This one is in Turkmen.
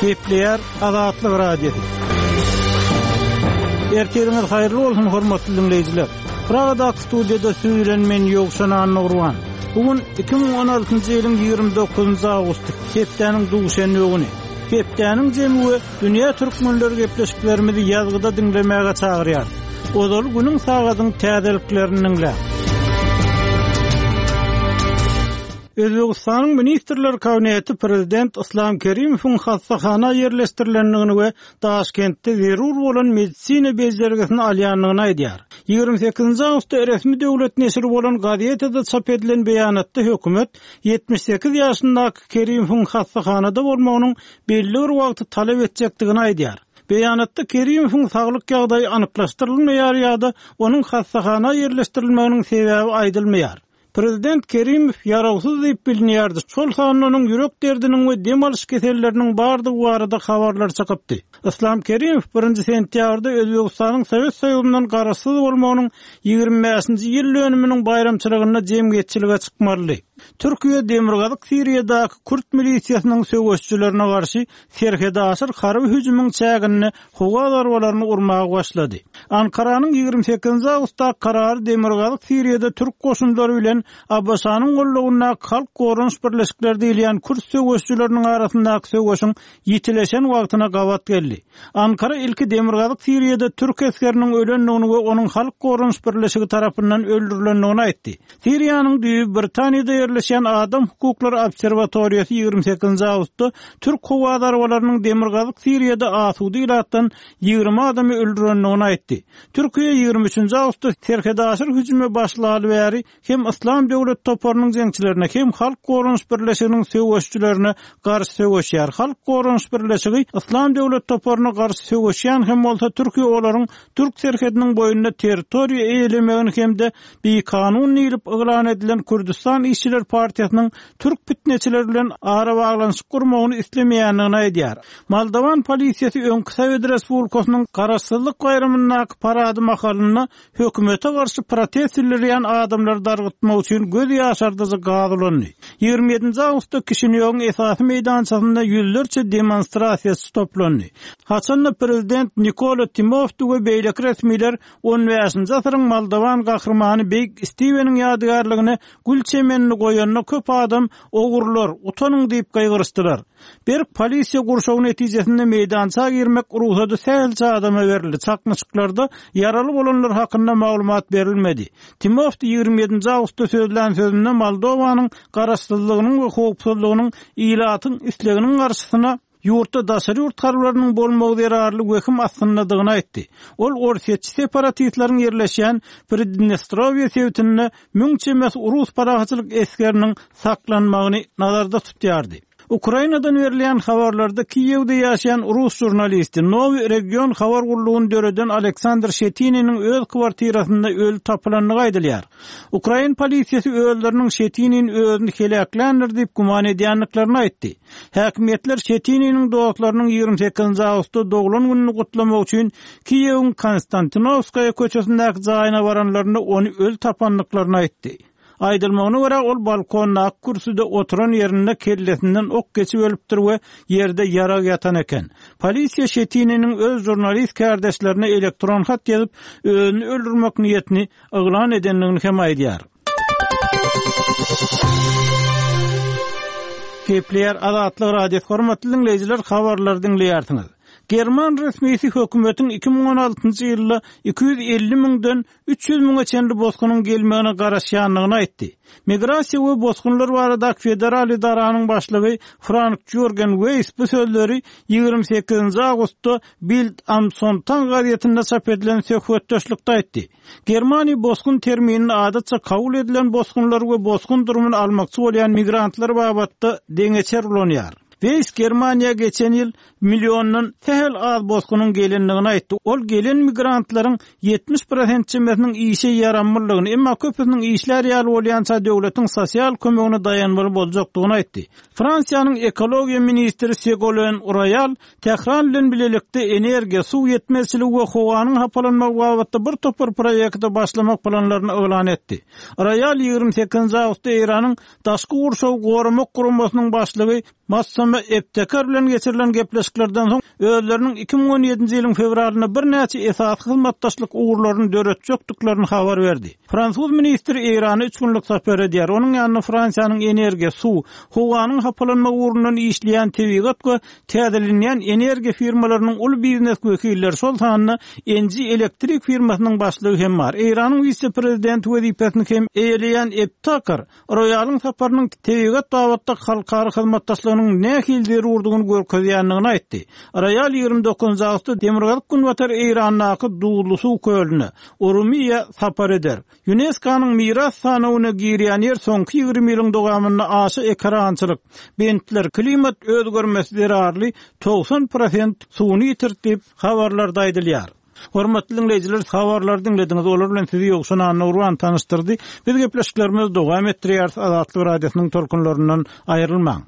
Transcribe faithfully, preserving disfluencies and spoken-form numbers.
Gepleýär Azatlyk Radiosy. Ertiriňiz haýyrly bolsun hormatly dinleýjiler. Pragadaky studiýada siz bilen men Ýowşan Annagurban. Bu gün iki müň on altynjy ýylyň ýigrimi dokuzynjy awgusty, hepdäniň duşenbe güni. Hepdäniň jemi we dünýä türkmenleri gepleşiklerimizi ýazgyda diňlemäge çagyrýar. Ozal günüň sagadyň täzeliklerini diňläň. Özbekistanyň Ministrler Kabineti Prezident Islam Kerimowyň hassahana ýerleşdirilendigini we Daşkentde zerur bolan medisina bejergisini alýandygyny aýdýar. Ýigrimi sekizinji awgustda resmi döwlet neşiri bolan gazetada çap edilen beýanatda hökümet ýetmiş sekiz ýaşyndaky Kerimowyň hassahanada bolmagynyň belli bir wagty talap etjekdigini aýdýar. Beýanatda Kerimowyň saglyk ýagdaýy anyklaşdyrylmaýar ýa-da onuň hassahana ýerleşdirilmeginiň sebäbi aýdylmaýar. Prezident Kerimow ýarawsyz diýip bilinýärdi. Şol sanda onuň ýürek derdiniň we dem alyş keselleriniň bardygy barada habarlar çykypdy. Islam Kerimow birinji sentýabrda Özbekistanyň Sowet Soýuzyndan garaşsyz bolmagynyň ýigrimi bäşinji ýyl dönüminiň baýramçylygynda jemgyýetçilige çykmalydy. Türkiýe Demirgazyk Siriýadaky Kürt milisiýasynyň söweşçilerine garşy serhedaşyr harby hüjümiň çäginde howa zarbalaryny urmaga başlady. Ankaranyň ýigrimi sekizinji awgustda karary Demirgazyk Siriýada Türk goşunlary bilen A B Ş-nyň gollugyndaky Halk Goranyş Birleşikleri diýilýän Kürt söweşçileriniň arasyndaky söweşiň ýitileşen wagtyna gabat geldi. Ankara ilki Demirgazyk Siriýada Türk esgeriniň ölendigini we onuň Halk Goranyş Birleşigi tarapyndan öldürilendigini aýtdy. Siriýanyň düýbi Britaniýada ýerleşýän Adam Hukuklary Obserwatoriýasy ýigrimi sekizinji awgustda Türk howa zarbalarynyň Demirgazyk Siriýada asuda ilatdan ýigrimi adamy öldürendigini aýtdy. Türkiýe ýigrimi üçünji awgustda serhedaşyr hüjüme başlaly bäri hem Islam Döwlet toparynyň jeňçilerine hem Halk Goranyş Birleşiginiň söweşçilerine garşy söweşýär. Halk Goranyş Birleşigi Islam Döwlet toparyna garşy söweşýän hem bolsa Türkiýe olaryň Türk serhediniň boýunda territoriýa eýelemegini hem-de bikanun diýlip yglan edilen Kürdistan Işçiler Partiýasynyň Türk pitneçileri bilen ara baglanyşyk gurmagyny islemeýändigini aýdýar. Moldowan polisiýasy öňki Sowet Respublikasynyň garaşsyzlyk baýramyndaky parady mahalynda hökümete garşy protest bildirýän adamlary dargytmak üçin göz ýaşardyjy gaz ulandy. Ýigrimi ýedinji awgustda Kişinýowyň esasy meýdançasynda ýüzlerçe demonstrasiýaçy toplandy. Haçanda prezident Nikola Timofti we beýleki resmiler on bäşinji asyryň Moldowan gahrymany Beýik Stiweniň ýadygärligine gül çemenini goýanda köp adam ogurlar, utanyň diýip gygyryşdylar. Berk polisiýa gurşawy netijesinde meýdança girmek rugsady sähelçe adama berildi. Çaknyşyklarda ýaraly bolanlar hakynda maglumat berilmedi. Timofti ýigrimi ýedinji awgustda sözlän sözünde Moldowanyň garaşsyzlygynyň we howpsuzlygynyň ilatyň isleginiň garşysyna ýurtda daşary ýurt harbylarynyň bolmagy zerarly wehim astyndadygyny aýtdy. Ol orsýetçi separatistleriň ýerleşýän Pridnestrowiýa sebitinde müň çemesi rus parahatçylyk esgeriniň saklanmagyny nazarda tutýardy. Ukrainadan berilýän habarlarda Kiýewde ýaşaýan rus žurnalisti Nowy Region habar gullugyny döreden Aleksandr Şetininiň öz kwartirasynda öli tapylandygy aýdylýar. Ukrain polisiýasy özleriniň Şetinin özüni heläkländir diýip güman edýändiklerini aýtdy. Häkimiýetler Şetininiň dostlarynyň ýigrimi sekizinji awgustda doglan gününi gutlamak üçin Kiýewiň Konstantinowskaýa köçesindäki jaýyna baranlarynda ony öl tapandyklaryny aýtdy. Aýdylmagyna görä ol balkondaky kürsüde oturan ýerinde kellesinden ok geçip ölüpdir we ýerde ýarag ýatan eken. Polisiýa Şetininiň öz žurnalist kärdeşlerine elektron hat ýazyp, özüni öldürmek niýetini yglan edendigini hem aýdýar. Gepleýär Azatlyk Radiosy, hormatly dinleýjiler, habarlary diňleýärsiňiz. German resmisi hökümetiň iki müň on altynjy ýylda iki ýüz elli müňden üç ýüz müňe çenli bosgunyň gelmegine garaşýandygyny aýtdy. Migrasiýa we bosgunlar baradaky federal idaranyň başlygy Frank Jürgen Weiss bu sözleri ýigrimi sekizinji awgustda Bild am Sonntag gazetinde çap edilen söhbetdeşlikde aýtdy. Germaniýa bosgun terminini adatça kabul edilen bosgunlar we bosgun durumyny almakçy bolýan migrantlar babatda deňeçer ulanýar. Weiss Germaniýa geçen ýyl milliondan sähel az bosgunyň gelendigini aýtdy. Ol gelen migrantlaryň ýetmiş prosent çemesiniň işe ýaramlylygyny, emma köpüsiniň işler ýaly bolýança döwletiň sosial kömegine daýanmaly boljakdygyny aýtdy. Fransiýanyň ekologiýa ministri Ségolène Royal Tähran bilen bilelikde energiýa, suw ýetmezçiligi we howanyň hapalanmagy babatda bir topar proýekte başlamak planlaryny yglan etdi. Royal ýigrimi sekizinji awgustda Eýranyň Daşky gurşawy goramak guramasynyň başlygy Massam agşamy Ebtekar bilen geçirilen gepleşiklerden soň özleriniň iki müň on ýedinji ýylyň fewralynda birnäçe esasy hyzmatdaşlyk ugurlaryny döretjekdiklerini habar berdi. Fransuz ministri Eýrana üç günlük sapar edýär. Onuň ýanynda Fransiýanyň energiýa, suw, howanyň hapalanmagy ugrundan işleýän tebigat we täzelenýän energiýa firmalarynyň uly biznes wekilleri, şol sanda Enji elektrik firmasynyň başlygy hem bar. Eýranyň wise-prezidenti wezipesini hem eýeleýän Ebtekar Roýalyň saparynyň tebigat babatda halkara hyzmatdaşlygynyň nähili zerurdygyny görkezýändigini aýtdy. Roýal ýigrimi dokuzynjy awgustda demirgazyk-günbatar Eýrandaky duzly suw kölüne, Urumiýa sapar eder. Ýunesko-nyň miras sanawyna girýän ýer soňky ýigrimi ýylyň dowamynda aşa ekerançylyk, bentler, klimat özgermesi zerarly togsan prosent suwuny ýitirdi diýip, habarlarda aýdylýar. Hormatly diňleýjiler, habarlary diňlediňiz. Olar bilen sizi Ýowşan Annagurban tanyşdyrdy. Biz gepleşiklerimizi dowam etdirýäris. Azatlyk Radiosynyň tolkunlaryndan aýrylmaň.